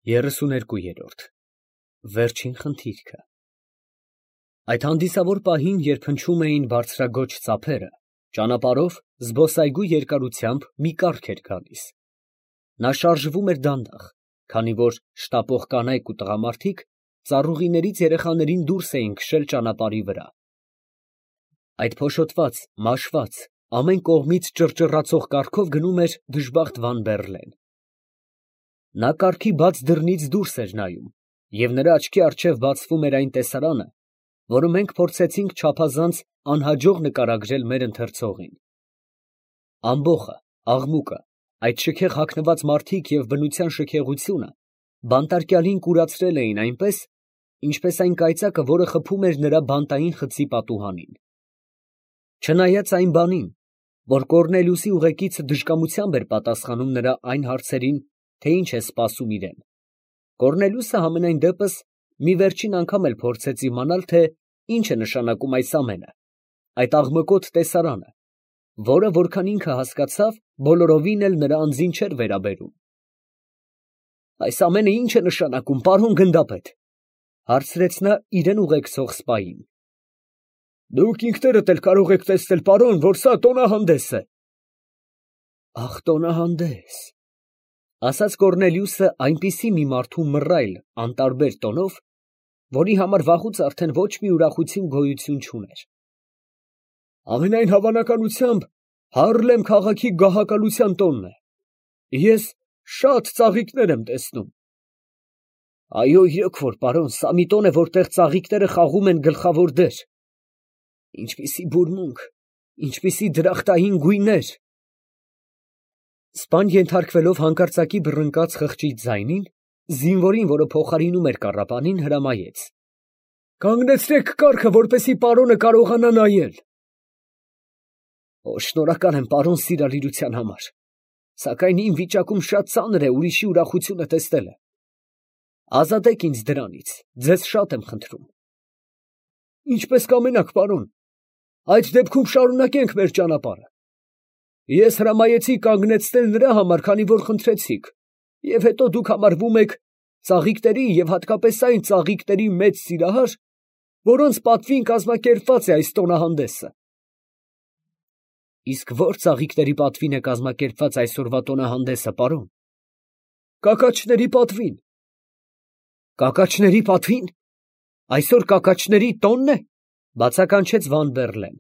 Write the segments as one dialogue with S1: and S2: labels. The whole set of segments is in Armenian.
S1: 32-րդ Վերջին խնդիրքը։ Այդ հանդիսավոր պահին, երբ հնչում էին բարձրագոչ ծափերը, ճանապարհով զբոսայգու երկարությամբ մի կառք էր գալիս. նա շարժվում էր դանդաղ, քանի որ շտապող կանայք ու տղամարդիկ ծառուղիներից երեխաներին դուրս էին քշել ճանապարհի վրա։ Այդ փոշոտված, մաշված, ամեն կողմից ճռճռացող կառքով գնում էր դժբախտ Վան-Բեռլեն։ Նա կառքի բաց դռնից դուրս էր նայում, և նրա աչքի առջև բացվում էր այն տեսարանը, որը մենք փորձեցինք չափազանց անհաջող նկարագրել մեր ընթերցողին։ Ամբոխը, աղմուկը, այդ շքեղ հագնված մարդիկ և բնության շքեղությունը բանտարկյալին կուրացրել էին այնպես, ինչպես այն կայծակը, որը խփում էր նրա բանտային խցի պատուհանին։ Չնայած այն բանին, որ Կոռնելիուսի ուղեկիցը դժկամությամբ էր պատասխանում նրա այն հարցերին, թե ինչ է սպասում իրեն, Կոռնելիուսը համենայն դեպս մի վերջին անգամ էլ փորձեց իմանալ, թե ինչ է նշանակում այս ամենը, այդ աղմկոտ տեսարանը, որը, որքան ինքը հասկացավ, բոլորովին էլ նրա անձին չէր վերաբերում։ «Այս ամենը ի՞նչ է նշանակում, պարոն գնդապետ», հարցրեց նա իրեն ուղեկցող սպային։ «Դուք ինքներդ էլ կարող եք տեսնել, պարոն, որ սա տոնահանդես է»։ «Ախ, տոնահանդես», ասաց Կոռնելիուսը այնպիսի մի մարդու մռայլ, անտարբեր տոնով, որի համար վաղուց արդեն ոչ մի ուրախություն գոյություն չուներ։ «Ամենայն հավանականությամբ Հարլեմ քաղաքի գահակալության տոնն է։ Ես շատ ծաղիկներ եմ տեսնում»։ «Այո, իրոք որ, պարոն, սա մի տոն է, որտեղ ծաղիկները խաղում են գլխավոր դեր։ Ինչպիսի բուրմունք, ինչպիսի դրախտային գույներ»։ Սպան ենթարկվելով հանկարծակի բռնկաց խղճից ձայնին, զինվորին, որը փոխարինում էր կառապանին, հրամայեց. «Կանգնեցրեք կառքը, որպեսզի պարոնը կարողանա նայել»։ «Շնորհակալ եմ, պարոն, սիրալիրության համար, սակայն իմ վիճակում շատ ծանր է ուրիշի ուրախությունը տեսնելը։ Ազատեք ինձ դրանից, ձեզ շատ եմ խնդրում»։ «Ինչպես կամենաք, պարոն, այդ դեպքում շարունակենք մեր ճանապարհը։ Ես հրամայեցի կանգնեցնել նրա համար, քանի որ խնդրեցիք, և հետո դուք համարվում եք ծաղիկների և հատկապես այն ծաղիկների մեծ սիրահար, որոնց պատվին կազմակերպված է այս տոնահանդեսը»։ «Իսկ ո՞ր ծաղիկների պատվին է կազմակերպված այսօրվա տոնահանդեսը, պարոն»։ «Կակաչների պատվին»։ «Կակաչների պատվին։ Այսօր կակաչների տո՞նն է», բացականչեց Վան֊Բեռլեն։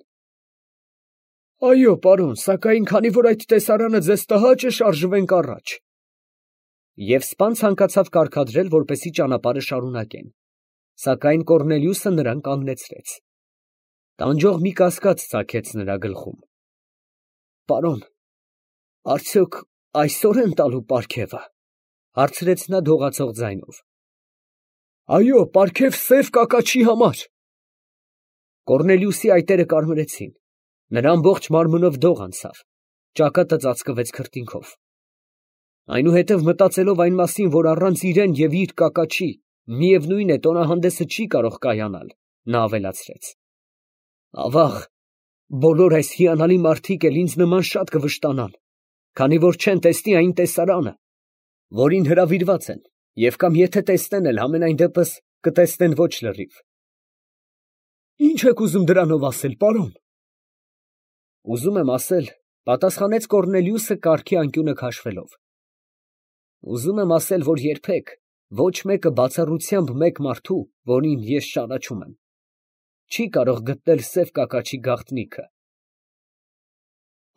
S1: «Այո, պարոն, սակայն քանի որ այդ տեսարանը ձեզ տհաճ է, շարժվենք առաջ»։ Եվ սպան ցանկացավ կարգադրել, որպեսզի ճանապարհը շարունակեն, սակայն Կոռնելիուսը նրան կանգնեցրեց։ Տանջող մի կասկած ծագեց նրա գլխում։ «Պարոն, արդյոք այսօր են տալու պարգևը», հարցրեց նա դողացող ձայնով։ «Այո, պարգև սև կակաչի համար»։ Կոռնելիուսի այտերը կարմրեցին, նրա ամբողջ մարմնով դող անցավ, ճակատը ծածկվեց քրտինքով։ Այնուհետև մտածելով այն մասին, որ առանց իրեն և իր կակաչի, միևնույն է, տոնահանդեսը չի կարող կայանալ, նա ավելացրեց. «Ավաղ, բոլոր այս հիանալի մարդիկ էլ ինձ նման շատ կվշտանան, քանի որ չեն տեսնի այն տեսարանը, որին հրավիրված են, և կամ եթե տեսնեն էլ, համենայն դեպս կտեսնեն ոչ լրիվ»։ «Ի՞նչ եք ուզում դրանով ասել, պարոն»։ «Ուզում եմ ասել», պատասխանեց Կոռնելիուսը կառքի անկյունը քաշվելով, «ուզում եմ ասել, որ երբեք ոչ մեկը բացառությամբ մեկ մարդու, որին ես ճանաչում եմ, չի կարող գտնել սև կակաչի գաղտնիքը»։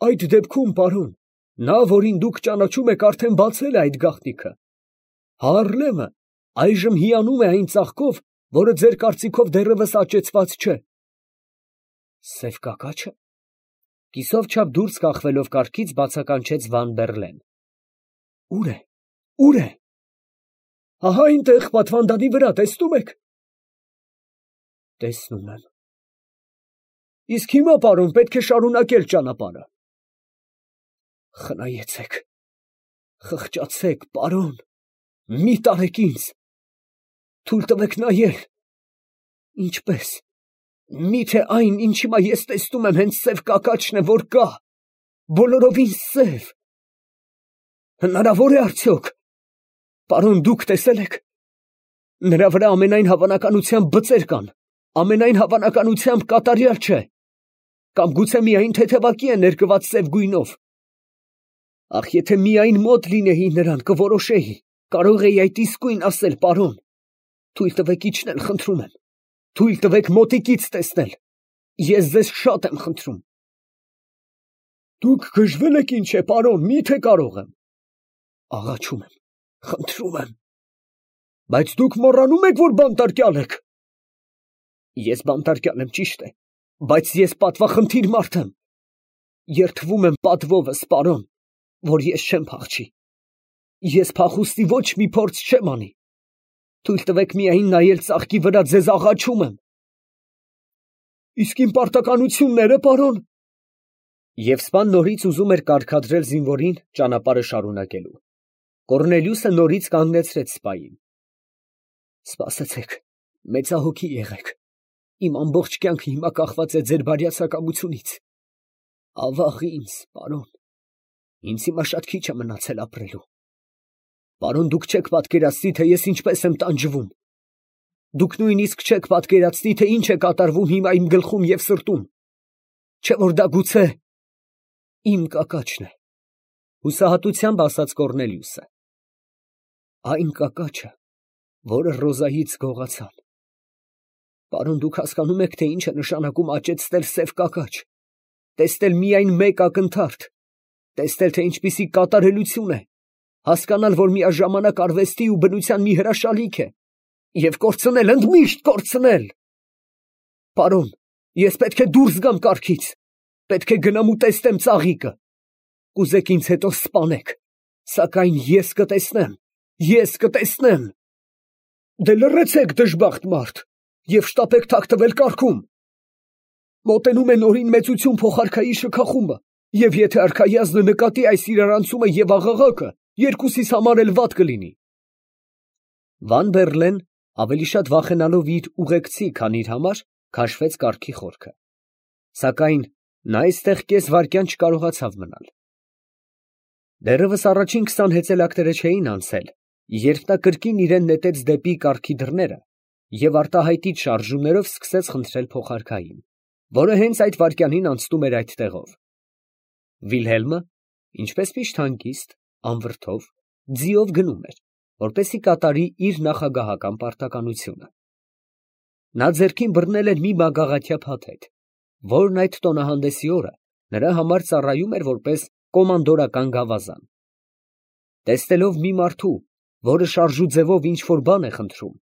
S1: «Այդ դեպքում, պարոն, նա, որին դուք ճանաչում եք, արդեն բացել է այդ գաղտնիքը։ Հարլեմը այժմ հիանում է այն ծաղկով, որը ձեր կարծիքով դեռևս աճեցված չէ»։ «Սև կակա՞չը», կիսով չափ դուրս կախվելով կառքից, բացականչեց Վան֊Բեռլեն։ «Ո՞ւր է, ո՞ւր է»։ «Ահա այնտեղ, պատվանդանի վրա, տեսնում եք»։ «Տեսնում եմ»։ «Իսկ հիմա, պարոն, պետք է շարունակել ճանապարհը»։ «Խնայեցեք, խղճացեք, պարոն, մի տարեք ինձ, թույլ տվեք նայել, ինչպես, միթե այն, ինչ հիմա ես տեսնում եմ, հենց սև կակաչն է, որ կա, բոլորովին սև։ Հնարավոր է արդյոք, Պարոն, դուք տեսել եք։ Նրա վրա ամենայն հավանականությամբ բծեր կան, ամենայն հավանականությամբ կատարյալ չէ, կամ գուցե միայն թեթևակի է ներկված սև գույնով։ Ախ, եթե միայն մոտ լինեի նրան, կորոշեի, կարող էի այդ իսկույն ասել, պարոն։ Թույլ տվեք իջնել, խնդրում եմ, թույլ տվեք մոտիկից տեսնել, ես ձեզ շատ եմ խնդրում։ Դուք գժվել եք ինչ է, պարոն, միթե կարող եմ։ Աղաչում եմ, խնդրում եմ։ Բայց դուք մոռանում եք, որ բանտարկյալ եք։ Ես բանտարկյալ եմ, ճիշտ է, բայց ես պատվախնդիր մարդ եմ։ Երդվում եմ պատվովս, պարոն, որ ես չեմ փախչի։ Ես փախուստի ոչ մի փորձ չեմ անի։ Թույլ տվեք միայն նայել ծաղկի վրա, ձեզ աղաչում եմ։ Իսկ իմ պարտականությունները, պարոն։ Եվ սպան նորից ուզում էր կարգադրել զինվորին ճանապարհը շարունակելու։ Կոռնելիուսը նորից կանգնեցրեց սպային։ Սպասեցեք, մեծահոգի եղեք։ Իմ ամբողջ կյանքը հիմա կախված է ձեր բարյացակամությունից։ Ավաղ ինձ, պարոն, ինձ հիմա շատ քիչ է մնացել ապրելու։ Պարոն, դուք չեք պատկերացնի, թե ես ինչպես եմ տանջվում։ Դուք նույնիսկ չեք պատկերացնի, թե ինչ է կատարվում հիմա իմ գլխում և սրտում։ Չէ՞ որ դա գուցե իմ կակաչն է, հուսահատությամբ ասաց Կոռնելիուսը։ Այն կակաչը, որը Ռոզայից գողացան։ Պարոն, դուք հասկանում եք, թե ինչ է նշանակում աճեցնել սև կակաչ, տեսնել միայն մեկ ակնթարթ, տեսնել, թե ինչպիսի կատարելություն է, հասկանալ, որ միաժամանակ արվեստի ու բնության մի հրաշալիք է, և կորցնել, ընդմիշտ կորցնել։ Պարոն, ես պետք է դուրս գամ կառքից, պետք է գնամ ու տեսնեմ ծաղիկը, կուզեք ինձ հետո սպանեք, սակայն ես կտեսնեմ։ Դե լռեցեք, դժբախտ մարդ, և շտապեք թաքնվել կառքում։ Մոտենում է նորին մեծություն փոխարքայի շքախումբը, և եթե արքայազնը նկատի այս իրարանցումը և աղաղակը, երկուսիս համար էլ վատ կլինի։ Վան Բերլեն, ավելի շատ վախենալով իր ուղեկցի, քան իր համար, քաշվեց կառքի խորքը։ Սակայն նա այստեղ կես վայրկյան չկարողացավ մնալ։ Դեռևս առաջին 20 հեծելակները չէին անցել, երբ նա կրկին իրեն նետեց դեպի կառքի դռները և արտահայտիչ շարժումներով սկսեց խնդրել փոխարքային, որը հենց այդ վայրկյանին անցնում էր այդ տեղով։ Վիլհելմը, ինչպես միշտ հանգիստ, անվրդով, ձիով գնում էր, որպեսզի կատարի իր նախագահական պարտականությունը։ Նա ձեռքին բռնել էր մի մագաղաթյա փաթեթ, որն այդ տոնահանդեսի օրը նրա համար ծառայում էր որպես կոմանդորական գավազան։ Տեսնելով մի մարդու, որը շարժուձևով ինչ-որ բան է խնդրում,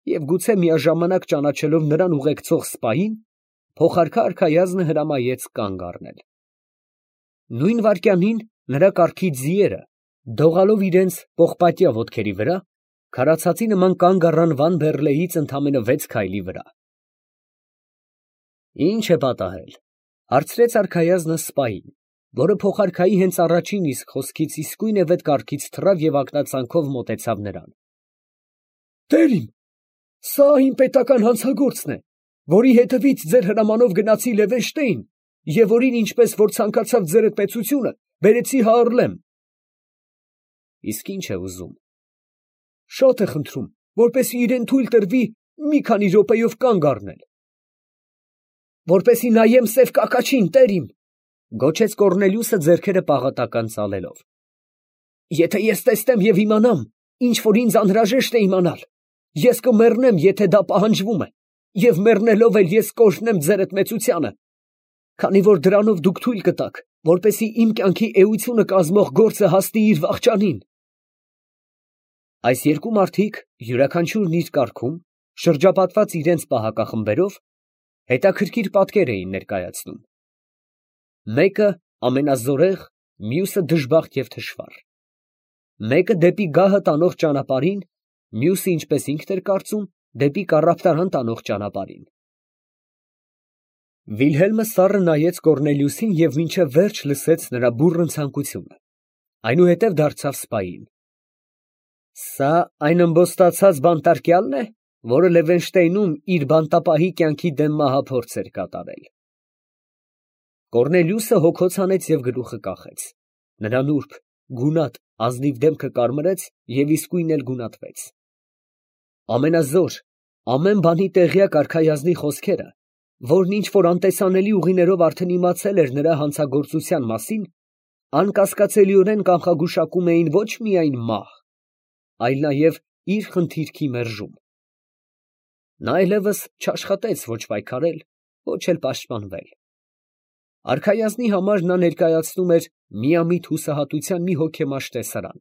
S1: և գուցե միաժամանակ ճանաչելով նրան ուղեկցող սպային, փոխարքա արքայազնը հրամայեց կանգ առնել։ Նույն վայրկյանին նրա կառքի ձիերը, դողալով իրենց պողպատյա ոտքերի վրա, քարացածի նման կանգ առան Վան Բերլեից ընդամենը 6 քայլի վրա։ Ի՞նչ է պատահել, հարցրեց արքայազնը սպային, որը փոխարքայի հենց առաջին իսկ խոսքից իսկույնևեթ կառքից թռավ և ակնածանքով մոտեցավ նրան։ Տեր իմ, սա իմ պետական հանցագործն է, որի հետևից ձեր հրամանով գնացի Լևենշտեին և որին, ինչպես որ ցանկացավ ձերդ մեծությունը, բերեցի Հաառլեմ։ Իսկ ինչ է ուզում։ Շատ է խնդրում, որպեսզի իրեն թույլ տրվի մի քանի րոպեով կանգ առնել։ Որպեսզի նայեմ սև կակաչին, տեր իմ, գոչեց Կոռնելիուսը ձեռքերը պաղատական ծալելով։ Եթե ես տեսնեմ և իմանամ, ինչ որ ինձ անհրաժեշտ է իմանալ, ես կմեռնեմ, եթե դա պահանջվում է, և մեռնելով էլ ես կօրհնեմ ձերդ մեծությանը, քանի որ դրանով դուք թույլ կտաք, որպեսզի իմ կյանքի էությունը կազմող գործը հասնի իր վախճանին։ Այս երկու մարդիկ, յուրաքանչյուրն իր կառքում, շրջապատված իրենց պահակախմբերով, հետաքրքիր պատկեր էին ներկայացնում։ Մեկը ամենազորեղ, մյուսը դժբախտ և թշվառ։ Մեկը դեպի գահը տանող ճանապարհին, մյուսը, ինչպես ինքն էր կարծում, դեպի կառավտարան տանող ճանապարհին։ Վիլհելմը սառը նայեց Կոռնելիուսին և մինչև վերջ լսեց նրա բուռն ցանկությունը, այնուհետև դարձավ սպային։ Սա այն ըմբոստացած բանտարկյալն է, որը Լևենշտեյնում իր բանտապահի կյանքի դեմ մահափորձ էր կատարել։ Կոռնելիուսը հոգոց հանեց և գլուխը կախեց։ Նրա նուրբ, գունատ, ազնիվ դեմքը կարմրեց և իսկույն էլ գունատվեց։ Ամենազոր, ամեն բանի տեղյակ արքայազնի խոսքերը, որն ինչ֊որ անտեսանելի ուղիներով արդեն իմացել էր նրա հանցագործության մասին, անկասկածելիորեն կանխագուշակում էին ոչ միայն մահ, այլ նաև իր խնդիրքի մերժում։ Նա այլևս չաշխատեց ոչ պայքարել, ոչ էլ պաշտպանվել։ Արքայազնի համար նա ներկայացնում էր միամիտ հուսահատության մի հոգեմաշ տեսարան,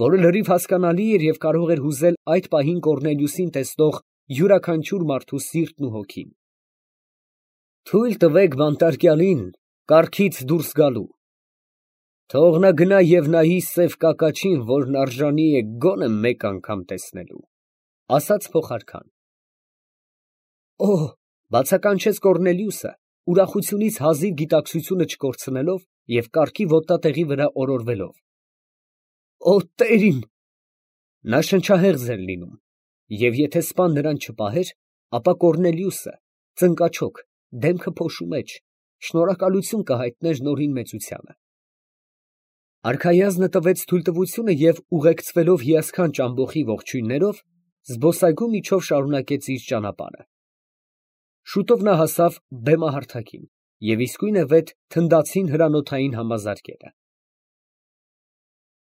S1: որը լրիվ հասկանալի էր և կարող էր հուզել այդ պահին Կոռնելիուսին տեսնող յուրաքանչյուր մարդու սիրտն ու հոգին։ Թույլ տվեք բանտարկյալին կառքից դուրս գալու. թող նա գնա և նայի սև կակաչին, որն արժանի է գոնե մեկ անգամ տեսնելու, ֊ ասաց փոխարքան։ ֊ Օ՜, ֊ բացականչեց Կոռնելիուսը, ուրախությունից հազիվ գիտակցությունը չկորցնելով և կառքի ոտնատեղի վրա օրորվելով։ ֊ Օ տեր իմ… Նա շնչահեղձ էր լինում, և եթե սպան նրան չպահեր, ապա Կոռնելիուսը, ծնկաչոք, դեմքը փոշու մեջ, շնորհակալություն կհայտներ նորին մեծությանը։ Արքայազնը տվեց թույլտվությունը և ուղեկցվելով հիասքանչ ամբոխի ողջույններով, զբոսայգու միջով շարունակեց իր ճանապարհը։ Շուտով նա հասավ բեմահարթակին և իսկույնևեթ թնդացին հրանոթային համազարկերը։